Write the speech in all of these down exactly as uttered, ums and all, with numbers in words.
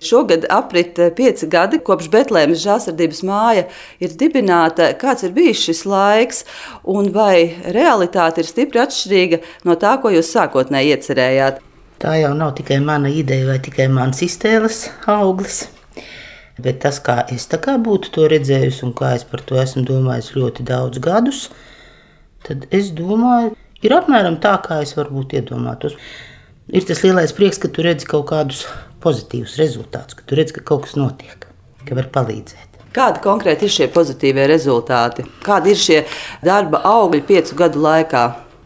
Šogad aprit pieci gadi, kopš Betlēmes Žēlsirdības māja ir dibināta. Kāds ir bijis šis laiks, un vai realitāte ir stipri atšķirīga no tā, ko jūs sākotnēji iecerējāt? Tā jau nav tikai mana ideja vai tikai mans iztēles auglis, bet tas, kā es tā kā būtu to redzējusi un kā es par to esmu domājis ļoti daudz gadus, tad es domāju, ir apmēram tā, kā es varbūt iedomātos. Ir tas lielais prieks, ka tu redzi kaut kādus pozitīvus rezultātus, ka tu redzi, ka kaut kas notiek, ka var palīdzēt. Kādi konkrēti ir šie pozitīvie rezultāti? Kādi ir šie darba augļi piecu gadu laikā?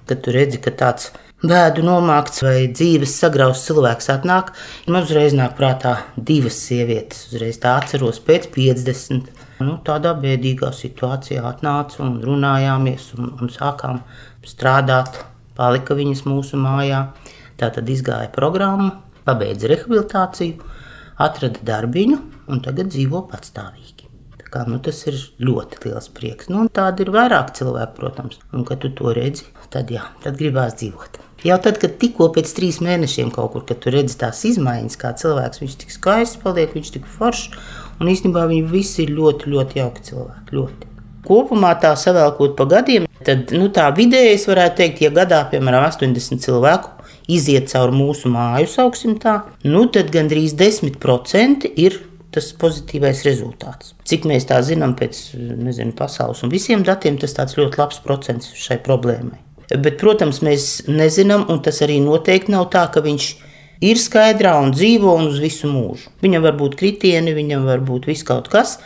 Kad tu redzi, ka tāds bēdu nomākts vai dzīves sagrauts cilvēks atnāk, man uzreiz nāk prātā divas sievietes. Uzreiz tā atceros pēc piecdesmit. Nu, tādā bēdīgā situācijā atnāca un runājāmies un, un sākām strādāt. Palika viņas mūsu mājā. Tā tad izgāja programmu, pabeidza rehabilitāciju, atrada darbiņu un tagad dzīvo patstāvīgi. Tā kā, nu, tas ir ļoti liels prieks. Nu, tādi ir vairāk cilvēki, protams. Un, kad tu to redzi, tad jā, tad gribās dzīvot. Jau tad, kad tikko pēc trīs mēnešiem kaut kur, kad tu redzi tās izmaiņas, kā cilvēks, viņš tik skaists paliek, viņš tik foršs, un īstenībā viņi visi ir ļoti, ļoti jauki cilvēki, ļoti. Kopumā tā savēlkot pa gadiem, tad, nu, tā vidēji es varētu teikt, ja gadā, piemēram, astoņdesmit cilvēku iziet cauri mūsu māju, sauksim tā, nu tad gandrīz desmit procenti ir tas pozitīvais rezultāts. Cik mēs tā zinām pēc, nezinu, pasaules un visiem datiem, tas tāds ļoti labs procents šai problēmai. Bet, protams, mēs nezinām, un tas arī noteikti nav tā, ka viņš ir skaidrā un dzīvo un uz visu mūžu. Viņam var būt kritieni, viņam var būt viss kaut kas,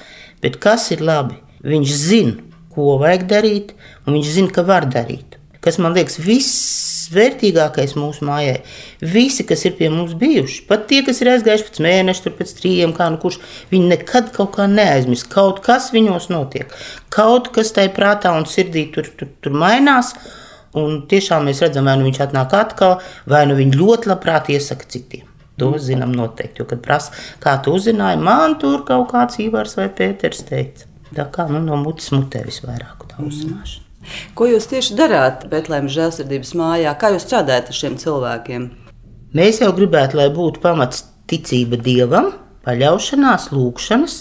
bet kas ir labi? Viņš zina, ko vajag darīt, un viņš zina, ka var darīt. Kas man liekas vissvērtīgākais mūsu mājai. Visi, kas ir pie mums bijuši, pat tie, kas ir aizgājuši pēc mēneša, tur pēc trījiem, kā nu kurš, viņi nekad kaut kā neaizmirst. Kaut kas viņos notiek. Kaut kas tai prātā un sirdī tur, tur, tur mainās, un tiešām mēs redzam, vai nu viņš atnāk atkal, vai nu viņi ļoti labprāt iesaka citiem. To zinām noteikti, jo, kad prasa, kā tu uzzināji, man tur kaut kāds Ivars vai Pēters teica. Tā kā, nu, no mutes mutē visvairāk tā uzzināšana. Ko jūs tieši darāt Betlēmes Žēlsirdības mājā? Kā jūs strādājat ar šiem cilvēkiem? Mēs jau gribētu, lai būtu pamats ticība Dievam, paļaušanās, lūgšanas,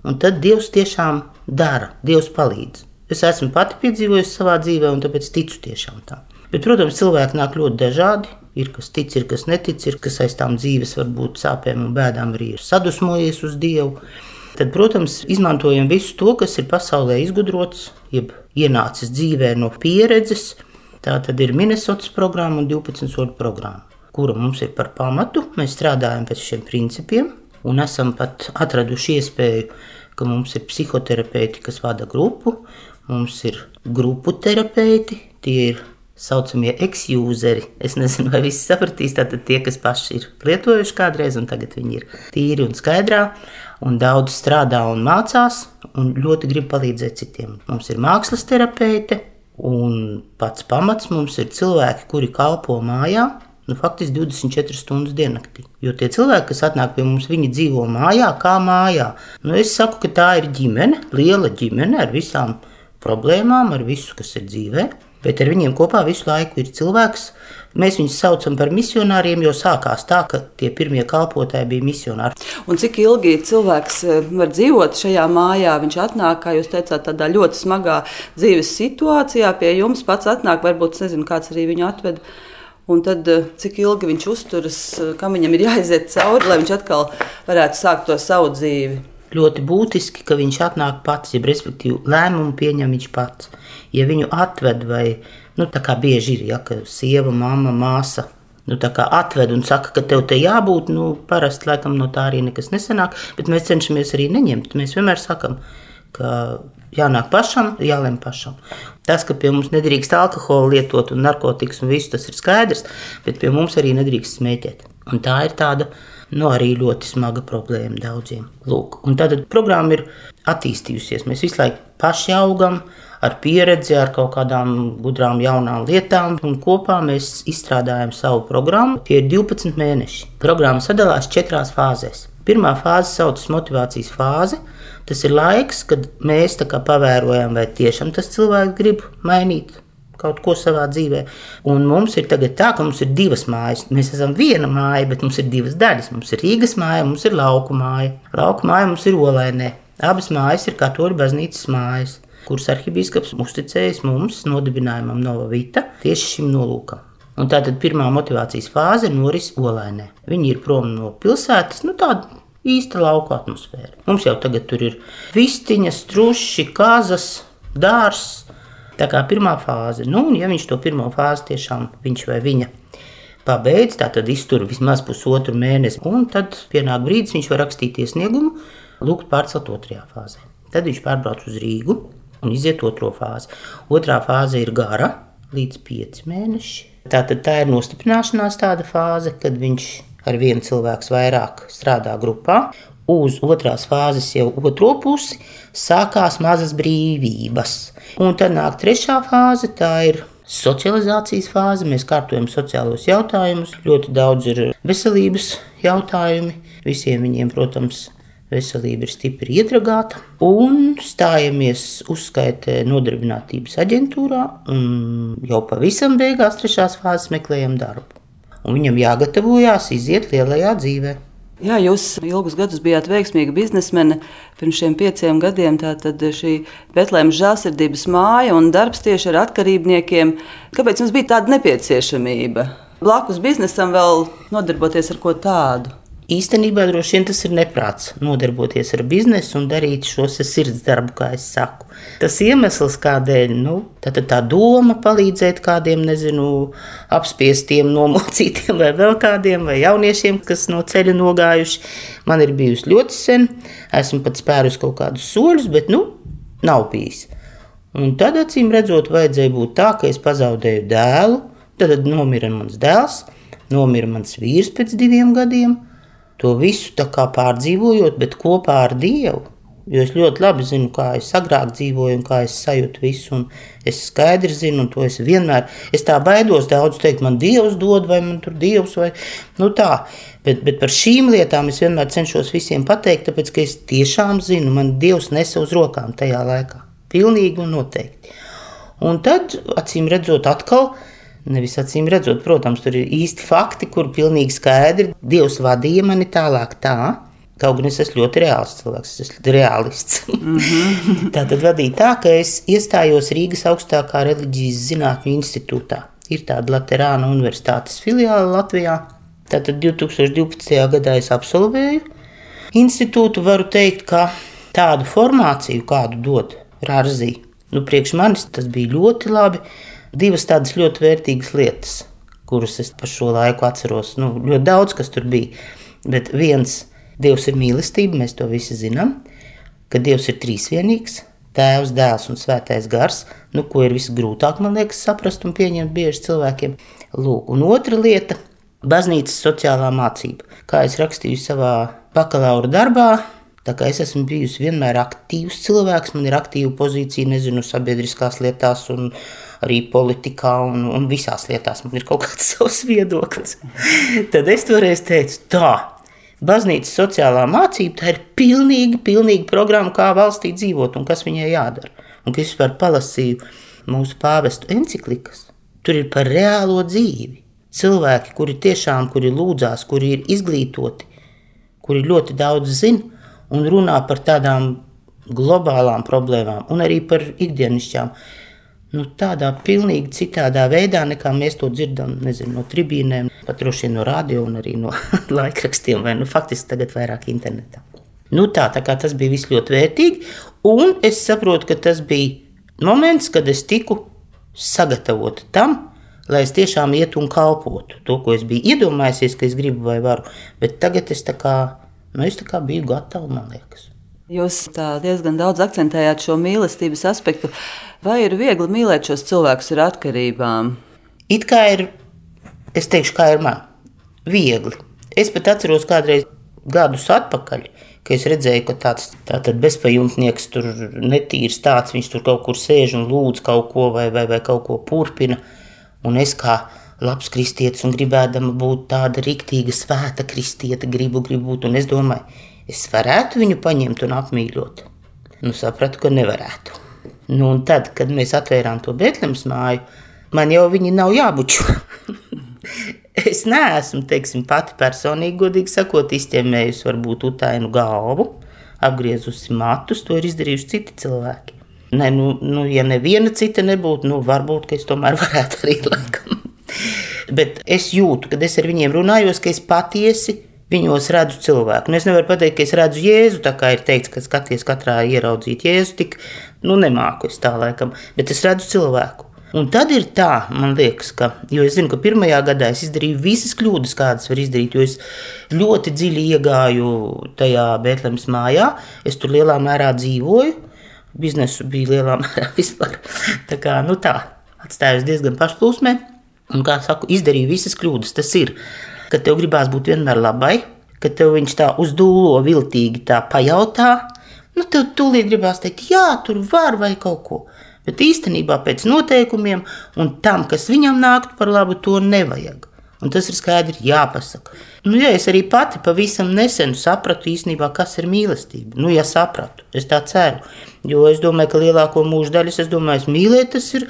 un tad Dievs tiešām dara, Dievs palīdz. Es esmu pati piedzīvojusi savā dzīvē, un tāpēc ticu tiešām tā. Bet, protams, cilvēki nāk ļoti dažādi. Ir kas tic, ir kas netic, ir kas aiz tām dzīves varbūt sāpēm un bēdām arī ir sadusmojies uz Dievu. Tad, protams, izmantojam visu to, kas ir pasaulē izgudrots, jeb ienācis dzīvē no pieredzes. Tā tad ir Minnesotas programma un divpadsmit soļu programma, kura mums ir par pamatu. Mēs strādājam pēc šiem principiem un esam pat atraduši iespēju, ka mums ir psihoterapeiti, kas vada grupu, mums ir grupu terapeiti, tie ir saucamie ex-useri. Es nezinu, vai visi sapratīs, tātad tie, kas paši ir lietojuši kādreiz, un tagad viņi ir tīri un skaidrā, un daudz strādā un mācās, un ļoti grib palīdzēt citiem. Mums ir mākslas terapeite, un pats pamats mums ir cilvēki, kuri kalpo mājā, nu faktiski divdesmit četras stundas diennaktī. Jo tie cilvēki, kas atnāk pie mums, viņi dzīvo mājā, kā mājā. Nu, es saku, ka tā ir ģimene, liela ģimene ar visām problēmām, ar visu, kas ir dzīvē. Bet ar viņiem kopā visu laiku ir cilvēks. Mēs viņus saucam par misionāriem, jo sākās tā, ka tie pirmie kalpotāji bija misionāri. Un cik ilgi cilvēks var dzīvot šajā mājā? Viņš atnāk, kā jūs teicāt, tādā ļoti smagā dzīves situācijā pie jums, pats atnāk, varbūt, nezinu, kāds arī viņu atved. Un tad cik ilgi viņš uzturas, kam viņam ir jāiziet cauri, lai viņš atkal varētu sākt to savu dzīvi? Ļoti būtiski, ka viņš atnāk pats, ja respektīvi lēmumu pieņem viņš pats. Ja viņu atved vai, nu tā kā bieži ir, ja, ka sieva, mamma, māsa, nu tā kā atved un saka, ka tev te jābūt, nu parasti laikam no tā arī nekas nesanāk, bet mēs cenšamies arī neņemt. Mēs vienmēr sakam, ka jānāk pašam, jālem pašam. Tas, ka pie mums nedrīkst alkoholu lietot un narkotikas un visu, tas ir skaidrs, bet pie mums arī nedrīkst smēķēt. Un tā ir tāda, nu arī ļoti smaga problēma daudziem. Lūk, un tātad programma ir attīstījusies. Mēs visu laiku paši augam, ar pieredzi, ar kaut kādām gudrām jaunām lietām, un kopā mēs izstrādājam savu programmu. Tie ir divpadsmit mēneši. Programma sadalās četrās fāzēs. Pirmā fāze saucas motivācijas fāze. Tas ir laiks, kad mēs tā kā pavērojam, vai tiešām tas cilvēks grib mainīt kaut ko savā dzīvē. Un mums ir tagad tā, ka mums ir divas mājas. Mēs esam viena māja, bet mums ir divas daļas. Mums ir Rīgas māja, mums ir Lauku māja. Lauku māja mums ir Olainē. Abas mājas ir Katoļu baznīcas mājas, kuras arhibīskaps uzticējis mums nodibinājumam Nova Vita tieši šim nolūkam. Un tātad pirmā motivācijas fāze noris Olainē. Viņi ir prom no pilsētas, nu tāda īsta lauku atmosfēra. Mums jau tagad tur ir vistiņas, truši, kazas, dārs. Tā kā pirmā fāze. Nu, un ja viņš to pirmo fāzi tiešām viņš vai viņa pabeidz, tā tad iztur vismaz pusotru mēnesi. Un tad pienāk brīdis, viņš var rakstīt iesniegumu, lūgt pārcelt otrajā fāzē. Tad viņš pārbrauc uz Rīgu un iziet otro fāzi. Otrā fāze ir gara, līdz pieci mēneši. Tātad tā ir nostiprināšanās tāda fāze, kad viņš ar vienu cilvēku vairāk strādā grupā. Uz otrās fāzes jau otro pusi sākās mazas brīvības. Un tad nāk trešā fāze, tā ir socializācijas fāze. Mēs kārtojam sociālos jautājumus. Ļoti daudz ir veselības jautājumi. Visiem viņiem, protams, veselība ir stipri iedragāta. Un stājamies uzskaitē nodarbinātības aģentūrā. Un jau pavisam beigās trešās fāzes meklējam darbu. Un viņam jāgatavojās iziet lielajā dzīvē. Jā, jūs ilgus gadus bijāt veiksmīga biznesmene. Pirms šiem pieciem gadiem tātad šī Betlēmas žēlsirdības māja un darbs tieši ar atkarībniekiem. Kāpēc jums bija tāda nepieciešamība? Blakus biznesam vēl nodarboties ar ko tādu? Īstenībā droši vien tas ir neprāts nodarboties ar biznesu un darīt šo sirds darbu, kā es saku. Tas iemesls, kādēļ, nu, tā, tā doma palīdzēt kādiem, nezinu, apspiestiem, nomocītiem vai vēl kādiem, vai jauniešiem, kas no ceļa nogājuši, man ir bijusi ļoti sen. Esmu pat spērus kaut kādus soļus, bet, nu, nav bijis. Un tad, acīm redzot, vajadzēja būt tā, ka es pazaudēju dēlu, tad nomira mans dēls, nomira mans vīrs pēc diviem gadiem. To visu tā kā pārdzīvojot, bet kopā ar Dievu, jo es ļoti labi zinu, kā es agrāk dzīvoju un kā es sajūtu visu, un es skaidri zinu, un to es vienmēr, es tā baidos daudz teikt, man Dievs dod, vai man tur Dievs, vai, nu tā, bet, bet par šīm lietām es vienmēr cenšos visiem pateikt, tāpēc, ka es tiešām zinu, man Dievs nesa uz rokām tajā laikā, pilnīgi un noteikti. Un tad, acīm redzot atkal, nevis acīm redzot, protams, tur ir īsti fakti, kur pilnīgi skaidri Dievs vadīja mani tālāk tā, kaut gan es esmu ļoti reāls cilvēks, es esmu realists. Mm-hmm. Tā tad vadīja tā, ka es iestājos Rīgas augstākā reliģijas zinātņu institūtā. Ir tāda Laterāna universitātes filiāla Latvijā. Tātad divtūkstoš divpadsmitajā gadā es absolvēju institūtu, varu teikt, ka tādu formāciju, kādu dod Rārzī, nu priekš manis tas bija ļoti labi. Divas tādas ļoti vērtīgas lietas, kuras es par šo laiku atceros. Nu, ļoti daudz, kas tur bija. Bet viens, Dievs ir mīlestība, mēs to visi zinām, ka Dievs ir trīsvienīgs, Tēvs, Dēls un Svētais Gars, nu, ko ir visgrūtāk, man liekas, saprast un pieņemt bieži cilvēkiem. Lūk, un otra lieta – baznīcas sociālā mācība. Kā es rakstīju savā bakalaura darbā, tā kā es esmu bijusi vienmēr aktīvs cilvēks, man ir aktīva pozīcija, nezinu, sabiedriskās lietās un arī politikā un, un visās lietās man ir kaut kāds savs viedoklis. Tad es toreiz teicu, tā, baznīcas sociālā mācība, tā ir pilnīgi, pilnīgi programma, kā valstī dzīvot un kas viņai jādara. Un, kad es vispār palasīju mūsu pāvestu enciklikas, tur ir par reālo dzīvi. Cilvēki, kuri tiešām, kuri lūdzās, kuri ir izglītoti, kuri ļoti daudz zina, un runā par tādām globālām problēmām un arī par ikdienišķām. Nu, tādā pilnīgi citādā veidā, nekā mēs to dzirdam, nezinu, no tribīnēm, pat droši no radio un arī no laikrakstiem, vai nu faktiski tagad vairāk internetā. Nu tā, tā kā tas bija viss ļoti vērtīgi, un es saprotu, ka tas bija moments, kad es tiku sagatavota tam, lai es tiešām ietu un kalpotu to, ko es biju iedomājusies, ka es gribu vai varu, bet tagad es tā kā, nu es tā kā biju gatava, man liekas. Jūs tā diezgan daudz akcentējāt šo mīlestības aspektu. Vai ir viegli mīlēt šos cilvēkus ar atkarībām? It kā ir, es teikšu, kā ir man, viegli. Es pat atceros kādreiz gadus atpakaļ, ka es redzēju, ka tāds tātad bezpajumtnieks tur netīrs tāds, viņš tur kaut kur sēž un lūdz kaut ko vai, vai, vai kaut ko purpina. Un es kā labs kristietis un gribēdama būt tāda riktīga svēta kristieta, gribu, gribu būt. Un es domāju, es varētu viņu paņemt un apmīļot. Nu, sapratu, ka nevarētu. Nu, un tad, kad mēs atvērām to Betlemas māju, Man jau viņi nav jābučo. Es neesmu, teiksim, pati personīgi, godīgi sakot, izķemmējusi varbūt utainu galvu, apgriezusi matus, to ir izdarījuši citi cilvēki. Ne, nu, nu, ja neviena cita nebūtu, nu, varbūt, ka es tomēr varētu arī laikam. Bet es jūtu, kad es ar viņiem runājos, ka es patiesi viņos redzu cilvēku. Nu, es nevaru pateikt, ka es redzu Jēzu, tā kā ir teikts, ka skaties katrā ieraudzīt Jēzu, tik, nu, nemāku es tā laikam, bet es redzu cilvēku. Un tad ir tā, man liekas, ka, jo es zinu, ka pirmajā gadā es izdarīju visas kļūdas, kādas var izdarīt, jo es ļoti dziļi iegāju tajā Bētlemes mājā, es tur lielā mērā dzīvoju, biznesu bija lielā mērā vispār, tā kā, nu tā, atstājos diezgan pašplūsmē, un, kā saku, izdarīju visas kļūdas, tas ir, ka tev gribās būt vienmēr labai, ka tev viņš tā uzdūlo viltīgi tā pajautā, nu tev tūlīt gribās teikt, jā, tur var vai kaut ko. Bet īstenībā pēc noteikumiem un tam, kas viņam nāktu par labu, to nevajag. Un tas ir skaidri jāpasaka. Nu, ja es arī pati pavisam nesen sapratu īstenībā, kas ir mīlestība. Nu, ja sapratu, es tā ceru. Jo es domāju, ka lielāko mūža daļas, es domāju, es mīlēt, tas ir,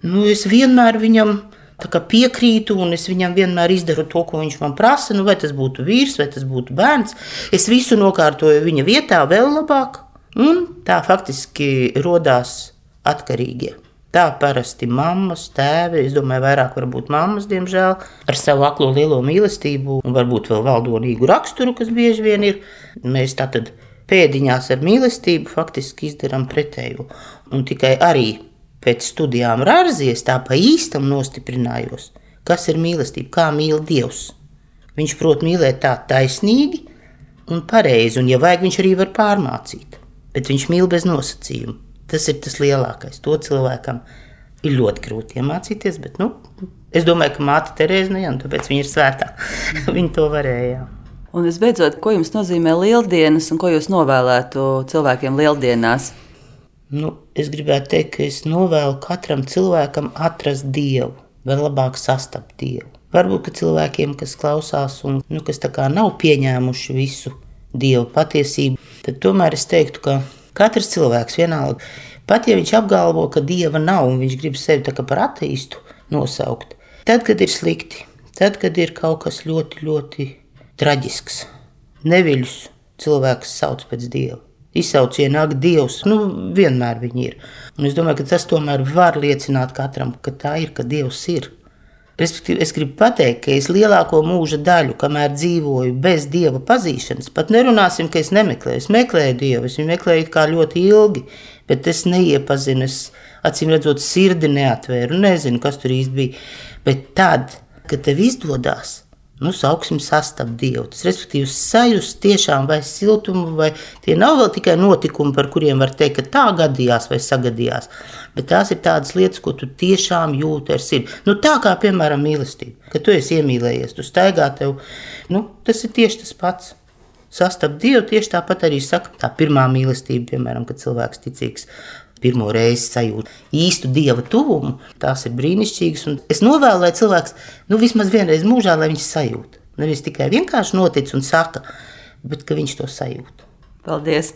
nu, es vienmēr viņam tā kā piekrītu un es viņam vienmēr izdaru to, ko viņš man prasa. Nu, vai tas būtu vīrs, vai tas būtu bērns. Es visu nokārtoju viņa vietā vēl labāk. Un tā faktiski rodās atkarīgie. Tā parasti mammas, tēvi, es domāju, vairāk varbūt mammas, diemžēl, ar savu aklo lielo mīlestību un varbūt vēl valdonīgu raksturu, kas bieži vien ir. Mēs tātad pēdiņās ar mīlestību faktiski izdarām pretējo. Un tikai arī pēc studijām Rārzies tā pa īstam nostiprinājos, kas ir mīlestība, kā mīl Dievs. Viņš prot mīlēt tā taisnīgi un pareizi, un ja vajag, viņš arī var pārmācīt, bet viņš mīl bez nosacījumu. Tas ir tas lielākais. To cilvēkam ir ļoti grūti iemācīties, bet, nu, es domāju, ka māte Terēze, nu, jā, tāpēc viņa ir svētā. Viņa to varēja. Un visbeidzot, ko jums nozīmē lieldienas un ko jūs novēlētu cilvēkiem lieldienās? Nu, es gribētu teikt, ka es novēlu katram cilvēkam atrast Dievu, vēl labāk sastapt Dievu. Varbūt, ka cilvēkiem, kas klausās un, nu, kas tā kā nav pieņēmuši visu Dievu patiesību, tad tomēr es teiktu, ka katrs cilvēks vienalga, pat ja viņš apgalvo, ka Dieva nav un viņš grib sevi tā kā par ateistu nosaukt, tad, kad ir slikti, tad, kad ir kaut kas ļoti, ļoti traģisks, neviļus cilvēks sauc pēc Dieva. Izsaucienu ak Dievs, nu vienmēr viņi ir. Un es domāju, ka tas tomēr var liecināt katram, ka tā ir, ka Dievs ir. Respektīvi, es gribu pateikt, ka es lielāko mūža daļu, kamēr dzīvoju bez Dieva pazīšanas, pat nerunāsim, ka es nemeklēju. Es meklēju Dievu, es viņu meklēju kā ļoti ilgi, bet es neiepazinu, es acīm redzot sirdi neatvēru, nezinu, kas tur īsti bija. Bet tad, kad tev izdodās, nu, sauksim sastapt Dievu, tas respektīvi sajust tiešām vai siltumu, vai tie nav vēl tikai notikumi, par kuriem var teikt, ka tā gadījās vai sagadījās, bet tās ir tādas lietas, ko tu tiešām jūti ar sirdi. Nu, tā kā, piemēram, mīlestība, kad tu esi iemīlējies, tu staigā tev, nu, tas ir tieši tas pats. Sastapt Dievu tieši tāpat arī saka, tā pirmā mīlestība, piemēram, kad cilvēks ticīgs, pirmo reizi sajūt īstu Dieva tuvumu, tās ir brīnišķīgas, un es novēlu, lai cilvēks, nu, vismaz vienreiz mūžā, lai viņš sajūt. Nevis tikai vienkārši notic un saka, bet ka viņš to sajūt. Paldies!